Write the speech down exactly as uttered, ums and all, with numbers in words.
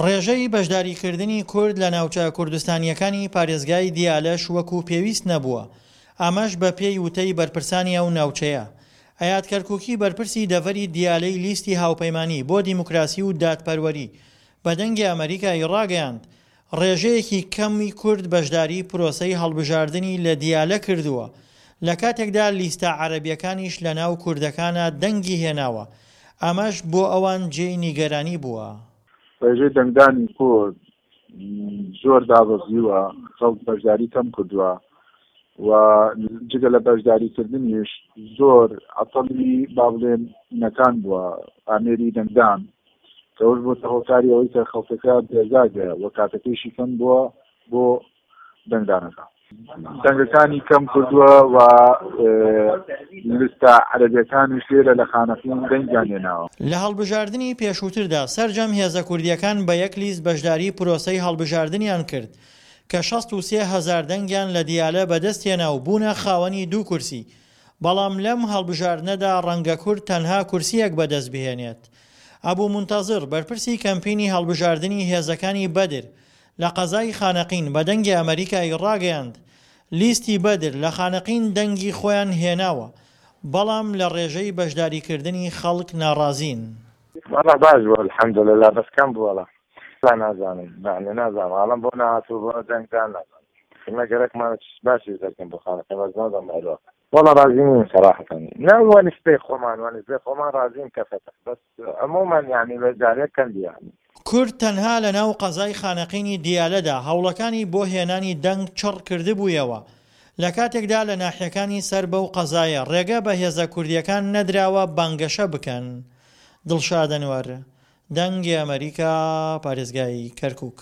ڕێژەی بەشداریکردنی کورد لە ناوچە کوردستانییەکانی پارێزگای دیالەش وەکو پێویست نەبووە، ئەمەش بەپێی وتەی بەرپرسانی ئەو ناوچەیە. ئەیاد کەرکوکی بەرپرسی دەڤەری دیالەی لیستی هاوپەیمانی بۆ دیموکراسی و دادپەروەری بە دەنگی ئەمەریکای ڕاگەیاند، ڕێژەیەکی کەمی کورد بەشداری پرۆسەی هەڵبژاردنی لە دیالە کردووە، لە کاتێکدا لیستە عەرەبیەکانیش لەناو کوردەکانا دەنگی هێناوە، ئەمەش بۆ ئەوان جێی نیگەرانی بووە. ڕێژەی دەنگدانی کورد زۆر دابەزیوە، خەڵک بەشداری کەم کردووە و جگە لە بەشداریکردنیش زۆر عەتەڵی با بڵێن نەکان بووە ئامێری دەنگدان کە ئەوش بۆتە هۆکاری ئەوەی کە خەڵکەکە بێزار بێ و کاتەکەیشی کەم بووە بۆ دەنگدانەکە. دەنگەکانی کەم کردووە و لیستە عەرەبیەکانیش لێرە لە خانەقین دەنگیان هێناوە. لە هەڵبژاردنی پێشووتردا سەرجەم هێزە کوردییەکان بە یەک لیست بەشداری پرۆسەی هەڵبژاردنیان کرد کە شەست و سێ هەزار دەنگیان لە دیالە بەدەستهێنا و بوونە خاوەنی دوو کورسی، بەڵام لەم هەڵبژاردنەدا ڕەنگە کورد تەنها کورسییەک بەدەست بهێنێت. ئەبو مونتەزر، بەرپرسی کەمپینی هەڵبژاردنی هێزەکانی بەدر لە قەزای خانەقین بە دەنگی ئەمەریکای ڕاگەیاند، لیستی بەدر لە خانەقین دەنگی خۆیان هێناوە، بەڵام لە ڕێژەی بەشداریکردنی خەڵک ناڕازین. وەڵا باش بوو الحمدللە بەس کەم بوو وەڵا وەڵا نازانم یەعنی نازانم ئاڵم بۆ نەهاتوو بۆ دەنگ دان نازانم ئێمە گەرەکمانە چ باسی دەکەن بۆ خانەقین بەس نازانم مەوزوعەکە وەڵا ڕازی نیم سەراحەتەن نا وە نسبەی خۆمان وە نسبەی خۆمان ڕازیم کە فەتح بەس عموما یەعنی بە جارێک کەم بی یەعنی. کورد تەنها لە ناو قەزای خانەقینی دیالەدا هەوڵەکانی بۆ هێنانی دەنگ چڕ کردبوویەوە، لە کاتێکدا لە ناحیەکانی سەر بەو قەزایە ڕێگە بە هێزە کوردییەکان نەدراوە بانگەشە بکەن. دڵشاد ئەنوەر، دەنگی ئەمەریکا، پارێزگای کەرکوک.